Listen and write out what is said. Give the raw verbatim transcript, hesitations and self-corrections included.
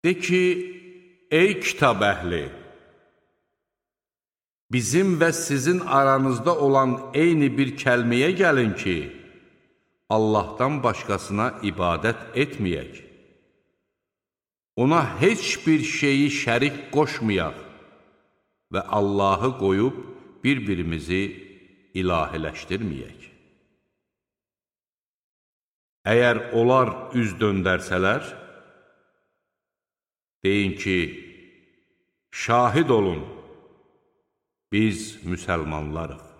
De ki, ey kitab əhli, bizim və sizin aranızda olan eyni bir kəlməyə gəlin ki, Allahdan başqasına ibadət etməyək. Ona heç bir şeyi şərik qoşmayaq və Allahı qoyub bir-birimizi ilahiləşdirməyək. Əgər onlar üz döndərsələr, deyin ki, şahid olun, biz müsəlmanlarıq.